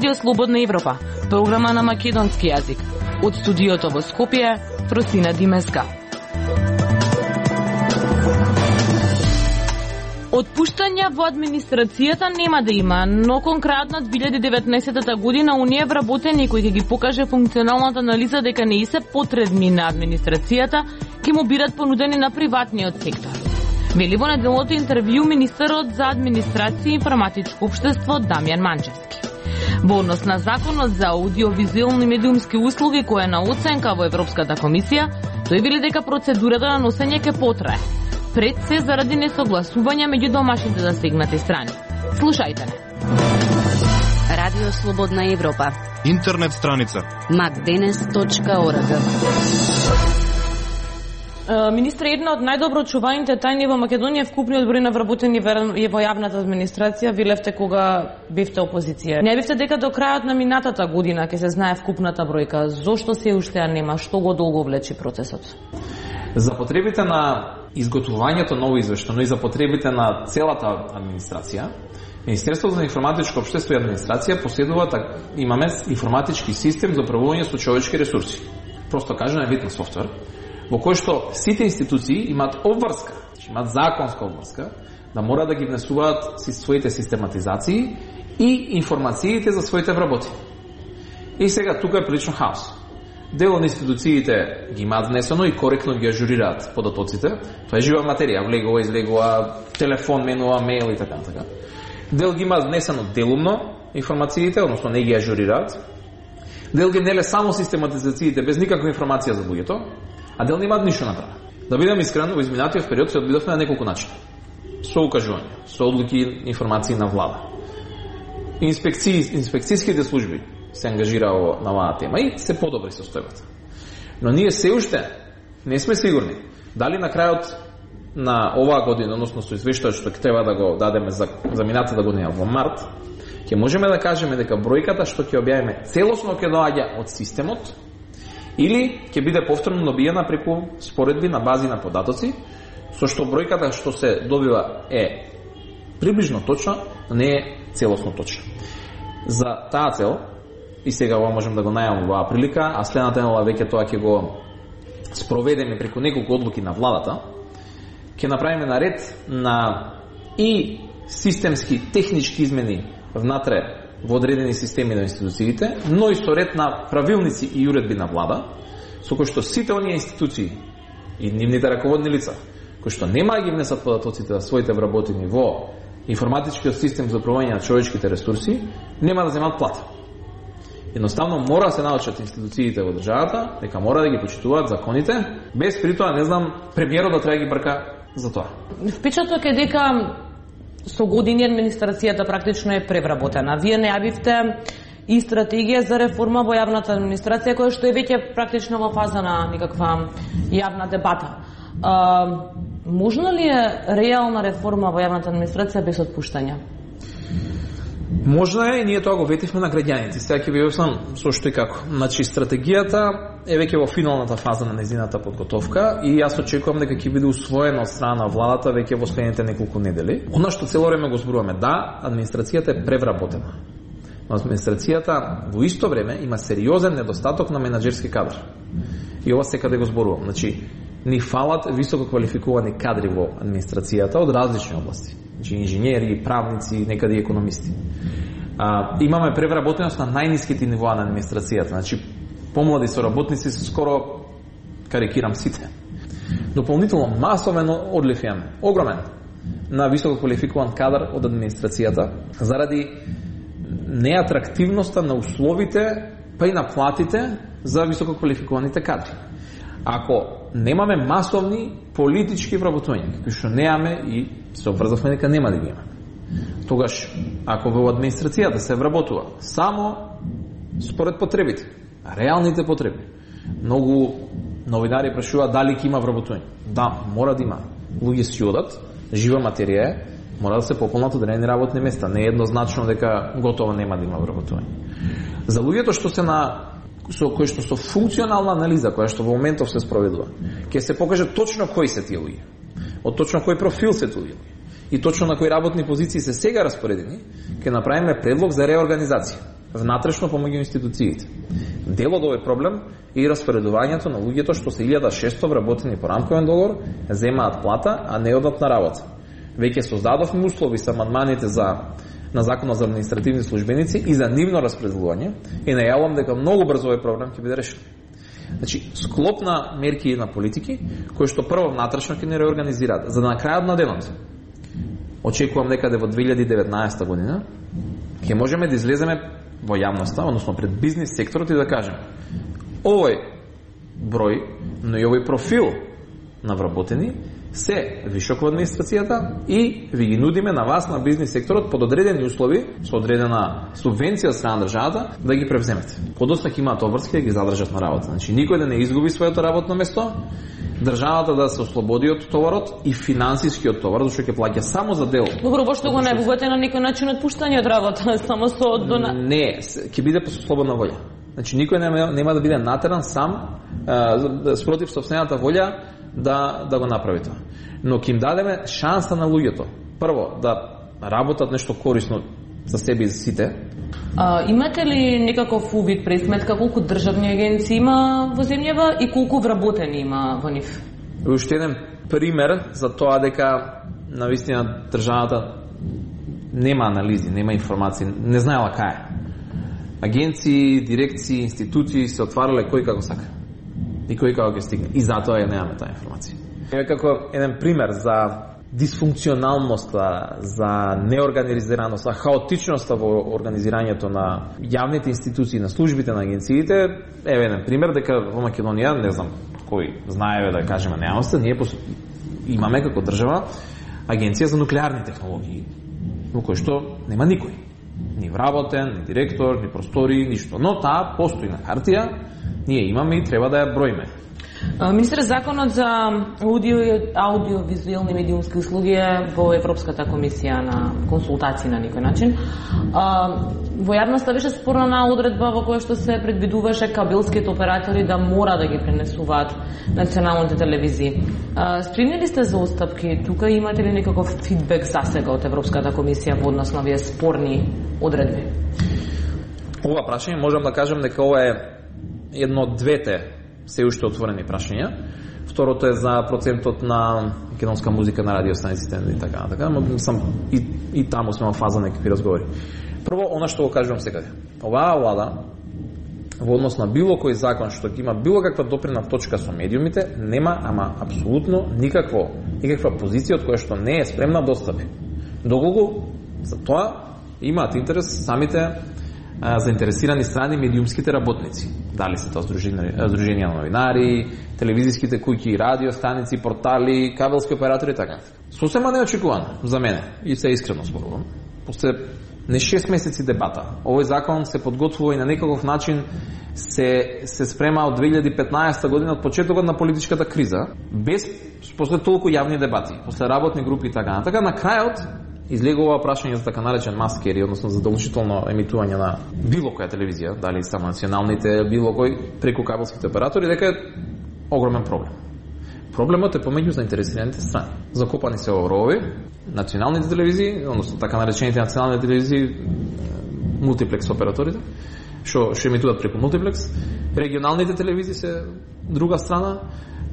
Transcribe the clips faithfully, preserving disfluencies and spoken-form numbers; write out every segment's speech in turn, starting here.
Радио Слободна Европа, програма на македонски јазик. Од студиото во Скопје, Фросина Димеска. Отпуштања во администрацијата нема да има, но конкретно две илјади и деветнаесетта година Унија вработени кој ќе ги покаже функционалната анализа дека не и се потребни на администрацијата, ќе му бидат понудени на приватниот сектор. Вели во неделното интервју министерот за администрација и информатичко општество Дамјан Манчевски. Во однос на законот за аудиовизуелни медиумски услуги која е на оценка во Европската комисија, тој вели дека процедурата на носење ќе потрае. Пред се заради несогласување меѓу домашните засегнати страни. Слушајте не. Радио Слободна Европа. Интернет страница макденес точка орг. Министре, една од најдобро чуваните тајни во Македонија вкупниот број на вработени во јавната администрација велевте кога бевте опозиција. Не бевте дека до крајот на минатата година ќе се знае вкупната бројка. Зошто се уште ја нема? Што го долго влечи процесот? За потребите на изготвувањето ново извештано и за потребите на целата администрација, Министерството за информатичко општество и администрација поседува так, имаме информатички систем за управување со човечки ресурси. Просто кажано е вид на софтвер во кој што сите институции имаат обврска, имаат законска обврска да мора да ги внесуваат своите систематизации и информациите за своите вработени. И сега тука е прилично хаос. Дел од институциите ги имаат внесено и коректно ги ажурираат податоците. Тоа е жива материја, влегува, излегува, телефон, менува, мејл и така така. Дел ги имаат внесено делумно информациите, односно не ги ажурираат. Дел ги неле само систематизациите без никаква информација за луѓето, а дел не имаат ништо направено. Да бидам искрен, во изминатиот период се одбидовме на неколку начини. Со укажување, со одлуки, информации на влада. Инспекцiji, инспекцијските служби се ангажираа на оваа тема и се подобри состојбата. Но ние се уште не сме сигурни дали на крајот на оваа година, односно со извештајот што ќе треба да го дадеме за, за минатата година во март, ќе можеме да кажеме дека бројката што ќе објавиме целосно ќе доаѓа од системот или ќе биде повторно добиена преку споредби на бази на податоци, со што бројката што се добива е приближно точна, но не е целосно точна. За таа цел, и сега ова можем да го најавам во оваа прилика, а следната недела веќе тоа ќе го спроведеме преку неколку одлуки на владата, ќе направиме наред на и системски, технички измени внатре во одредени системи на институциите, но и со ред на правилници и уредби на влада, со кои што сите оние институции и нивните раководни лица, кои што нема да ги внесат податоците за своите вработени во информатичкиот систем за управување на човечките ресурси, нема да земат плата. Едноставно мора да се научат институциите во државата, дека мора да ги почитуваат законите, без при тоа, не знам, премиерот да треба да ги брка за тоа. Впечаток е дека со години администрацијата практично е превработена. Вие најавивте и стратегија за реформа во јавната администрација, која што е веќе практично во фаза на некаква јавна дебата. А, можна ли е реална реформа во јавната администрација без отпуштања? Можна е и ние тоа го ветивме на граѓаните. Сега ќе ви објаснам со што и како. Значи, стратегијата е веќе во финалната фаза на незината подготовка и јас очекувам дека ќе биде усвоена од страна на владата веќе во следните неколку недели. Она што цело време го зборуваме, да, администрацијата е превработена. Но администрацијата во исто време има сериозен недостаток на менаџерски кадар. И ова секаде го зборувам. Значи, ни фалат високо квалификувани кадри во администрацијата од различни области. Значи, инженери, правници, некаде и економисти. А, имаме превработеност на најниските нивоа на администрацијата. Значи, помлади соработници се скоро, карикирам, сите. Дополнително масовен одлив имаме, огромен, на високо квалификуван кадар од администрацијата, заради неатрактивноста на условите, па и на платите за високо квалификуваните кадри. Ако немаме масовни политички вработувања, кои што немаме и се обврзавме дека нема да ги имаме, тогаш, ако во администрацијата се вработува само според потребите, реалните потреби, многу новинари прашуваат дали ќе има вработување. Да, мора да има. Луѓе си одат, жива материја е, мора да се пополнат одредени работни места. Не е еднозначно дека готово нема да има вработување. За луѓето што се на со кои што со функционална анализа, која што во моментов се спроведува, ќе се покаже точно кои се тие луѓе, од точно кој профил се тие луѓе и точно на кои работни позиции се сега распоредени, ќе направиме предлог за реорганизација. внатрешно помеѓу институциите. Дел од овој проблем е и распоредувањето на луѓето што се илјада и шесто вработени по рамковен договор, земаат плата, а не одат на работа. Веќе создадовме услови со амандманите за на Законот за административни службеници и за нивно распределување и најавувам дека многу брзо овој проблем ќе биде решен. Значи, склоп на мерки на политики кои што прво внатрешно ќе не реорганизираат, за да на крајот на денот очекувам некаде во две илјади и деветнаесета година ќе можеме да излеземе во јавноста, односно пред бизнис секторот и да кажем овој број, но и овој профил на вработени се вишок во администрацијата и ви ги нудиме на вас, на бизнис секторот, под одредени услови, со одредена субвенција од страна на државата, да ги превземете. Подоцна ќе имаат обврски да ги задржат на работа. Значи, никој да не изгуби своето работно место, државата да се ослободи од товарот и финансискиот товар, зашто ќе плаќа само за дел. Добро, што го најбогате на некој начин отпуштање од работа, само со дона... Не, ќе биде по слободна волја. Значи, никој нема, нема да биде натеран сам, а, спротив собствената волја, да, да го направи тоа. Но ќе им дадеме шанса на луѓето. Прво, да работат нешто корисно за себе и за сите. А, имате ли некаков увид, пресметка, колку државни агенции има во земјава и колку вработени има во нив? Уште еден пример за тоа дека навистина државата нема анализи, нема информации, не знаела кај. Агенции, дирекции, институции се отварале кој како сака. И кој како ќе стигне. И затоа ја немаме таа информација. Е како еден пример за дисфункционалноста, за неорганизираност, за хаотичноста во организирањето на јавните институции, на службите, на агенциите, еве еден пример дека во Македонија, не знам кој знаеве да кажеме нејавноста, ние имаме како држава агенција за нуклеарни технологии, во кој што нема никој. Ни вработен, ни директор, ни простори, ништо. Но таа постои на хартија, ние имаме и треба да ја броиме. Министер, законот за аудио и аудиовизуелни медиумски услуги е во Европската комисија на консултации на некој начин. Во јавноста беше спорна одредба во која што се предвидуваше кабелските оператори да мора да ги пренесуваат националните телевизии. Спремни ли сте за отстапки? Тука имате ли некаков фидбек засега од Европската комисија во однос на овие спорни одредби? Ова прашање можам да кажам дека ова е едно од двете се уште отворени прашања. Второто е за процентот на македонска музика на радиостаниците и така, така, но сам и, и таму сме во фаза некакви разговори. Прво, она што го кажувам секаде. Оваа влада во однос на било кој закон што ќе има било каква допрена точка со медиумите, нема ама апсолутно никакво, никаква позиција од која што не е спремна да отстапи. Доколку за тоа имаат интерес самите заинтересирани страни медиумските работници. Дали се тоа здруженија на новинари, телевизиските куќи, радиостаници, портали, кабелски оператори и така. Сосема неочекувано за мене, и се искрено зборувам. После не шест месеци дебата, овој закон се подготвува и на некаков начин се, се спрема од две илјади и петнаесета година, од почетокот на политичката криза, без после толку јавни дебати, после работни групи и така. Така на крајот излегува прашање за така наречен маскери, односно задолжително емитување на било која телевизија, дали само националните, било кој преку кабелските оператори, дека е огромен проблем. Проблемот е помеѓу заинтересираните страни. Закопани се во ровови, националните телевизии, односно така наречените национални телевизии, мултиплекс операторите, што што емитуваат преку мултиплекс, регионалните телевизии се друга страна,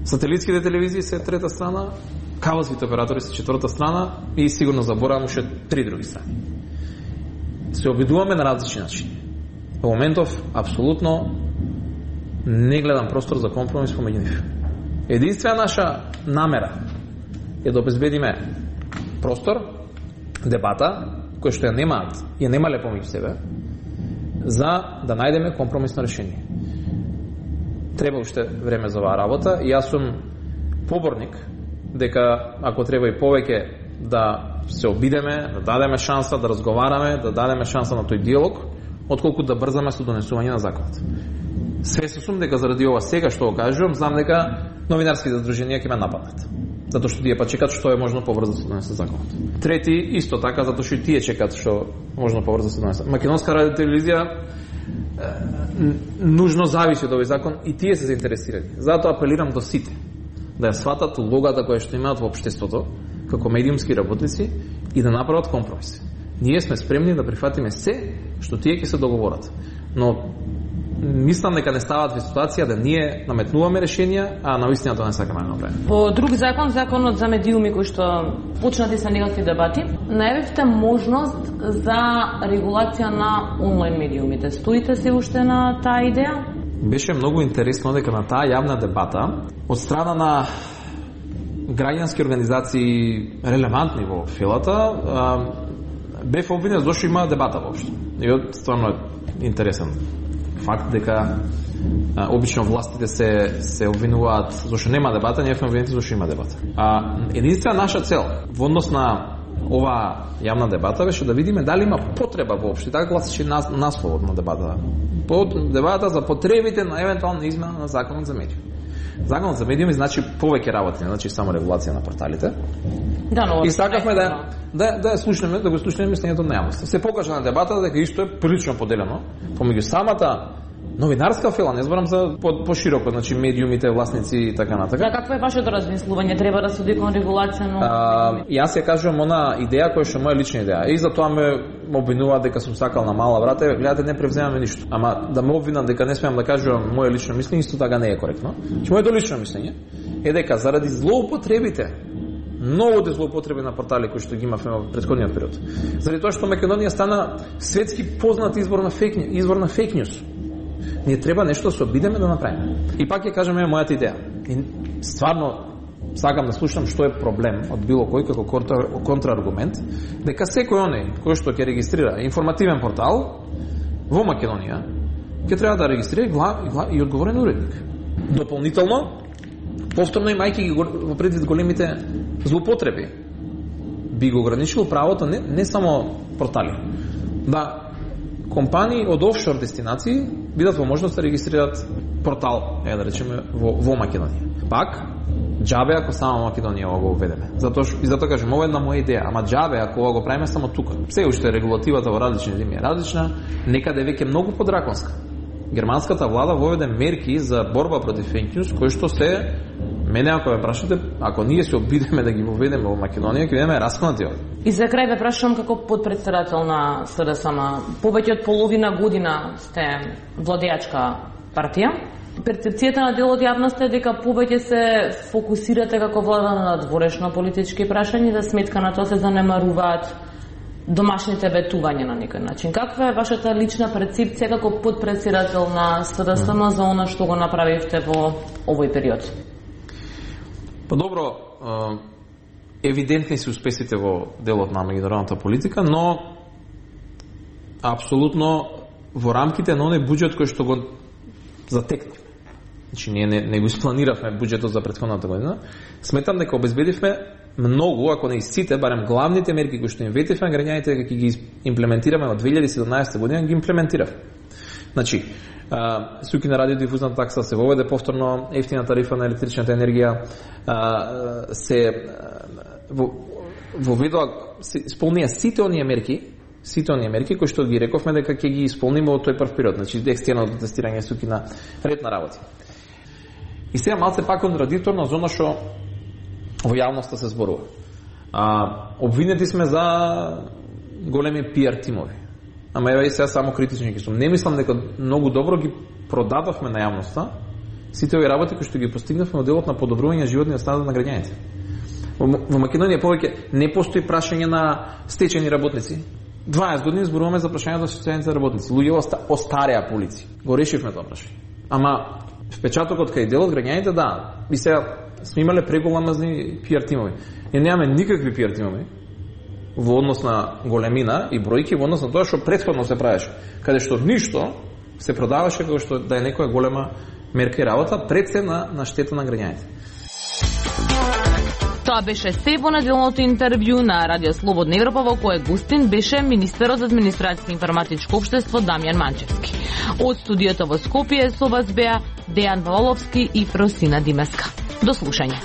сателитските телевизии се трета страна, кабелските оператори се четврта страна и сигурно заборавам уште три други страни. Се обидуваме на различни начини. Во моментов, апсолутно не гледам простор за компромис помеѓу нив. Единствена наша намера е да обезбедиме простор, дебата, кој што ја немаат, ја немале помеѓу себе, за да најдеме компромисно решение. Треба уште време за оваа работа и јас сум поборник дека ако треба и повеќе да се обидеме, да дадеме шанса да разговараме, да дадеме шанса на тој диалог, отколку да брзаме со донесување на законот. Свесен сум дека заради ова сега што го кажувам, знам дека новинарските здруженија ќе ме нападнат. Затоа што тие па чекат што е можно побрзо да се донесе законот. Трети исто така затоа што и тие чекат што можно побрзо да се донесе. Македонска радио телевизија нужно зависи од овој закон и тие се заинтересирани. Затоа апелирам до сите да ја сватат улогата која што имаат во општеството како медиумски работници и да направат компромис. Ние сме спремни да прифатиме се што тие ќе се договорат. Но мислам дека не стават во ситуација да ние наметнуваме решенија, а навистина тоа не сакаме да направиме. По друг закон, законот за медиуми кој што почнати се некакви дебати, најавивте можност за регулација на онлайн медиумите. Стоите се уште на таа идеја? Беше многу интересно дека на таа јавна дебата од страна на граѓански организации релевантни во филата бев обвинен зашто има дебата воопшто. И од стварно е интересен факт дека а, обично властите се се обвинуваат зашто нема дебата, ние сме обвинети зашто има дебата. А единствена наша цел во однос на оваа јавна дебата беше да видиме дали има потреба воопшто, така гласеше нас, насловот на дебата. Под дебата за потребите на евентуална измена на законот за медиуми. Законот за медиуми значи повеќе работи, значи само регулација на порталите. Да, но и сакавме да да да слушнеме, да го слушнеме мислењето на јавноста. Се покажа на дебата дека исто е прилично поделено помеѓу самата новинарска фила, не зборам за по, пошироко, значи медиумите, власници и така натака. Да, какво е вашето размислување? Треба да се оди кон регулација, но а, јас ја кажувам она идеја која што е моја лична идеја. И затоа ме обвинува дека сум сакал на мала врата, гледате, не превземаме ништо. Ама да ме обвинат дека не смеам да кажувам моје лично мислење, исто така не е коректно. Че моето лично мислење е дека заради злоупотребите, многу злоупотреби на портали кои што ги имавме во претходниот период, заради тоа што Македонија стана светски познат извор на фейк извор на фейк ньюс, ние треба нешто да се обидеме да направиме. И пак ќе кажеме мојата идеја. И стварно сакам да слушам што е проблем од било кој како контра, контрааргумент, дека секој оној кој што ќе регистрира информативен портал во Македонија ќе треба да регистрира глав, глав, и одговорен уредник. Дополнително, повторно имајќи ги во предвид големите злоупотреби, би го ограничил правото не, не само портали, да компании од офшор дестинации бидат во можност да регистрираат портал, е да речеме, во, во Македонија. Пак, џабе ако само Македонија го уведеме. Затоа и затоа кажем, ова е една моја идеја, ама џабе ако ова го правиме само тука. Се уште регулативата во различни земји е различна, некаде веќе многу подраконска. Германската влада воведе мерки за борба против фейк ньюс, кои што се, мене ако ме прашате, ако ние се обидеме да ги воведеме во Македонија, ќе бидеме расконати овде. И за крај ве прашувам како подпредседател на СДСМ, повеќе од половина година сте владеачка партија. Перцепцијата на дел од јавноста е дека повеќе се фокусирате како влада на надворешно политички прашања, за сметка на тоа се занемаруваат домашните ветувања на некој начин. Каква е вашата лична перцепција како подпредседател на СДСМ за она што го направивте во овој период? Па добро, евидентни се успесите во делот на меѓународната политика, но апсолутно во рамките на оној буџет кој што го затекнавме. Значи ние не, не го испланиравме буџетот за претходната година. Сметам дека обезбедивме многу, ако не и сите, барем главните мерки кои што им ветивме, граѓаните дека ќе ги имплементираме од две илјади и седумнаесета година, ги имплементиравме. Значи, суки на радиодифузна такса, се воведе повторно ефтина тарифа на електричната енергија, се воведоа, се исполнија сите оние мерки, сите оние мерки кои што ги рековме дека ќе ги исполниме во тој прв период, значи екстерно тестирање суки на ред на работи. И сега малце пак контрадикторно зона што во јавноста се зборува. А, обвинети сме за големи пиар тимови. Ама ева и сега само критични ги сум. Не мислам дека многу добро ги продадовме на јавноста сите овие работи кои што ги постигнавме во делот на подобрување животниот стандард на граѓаните. Во, во Македонија повеќе не постои прашање на стечени работници. дваесет години зборуваме за прашањето за социјалните работници. Луѓе оста, остареа по улици. Го решивме тоа прашање. Ама впечатокот кај делот граѓаните, да, и сега сме имале преголамазни пиар тимови. Ние немаме никакви пиар тимови во однос на големина и бројки во однос на тоа што претходно се правеше, каде што ништо се продаваше како што да е некоја голема мерка и работа, пред се на, на штета на граѓаните. Тоа беше се во неделното интервју на Радио Слободна Европа, во кое гостин беше министерот за администрација и информатичко општество Дамјан Манчевски. Од студиото во Скопје со вас беа Дејан Валовски и Фросина Димеска. До слушање.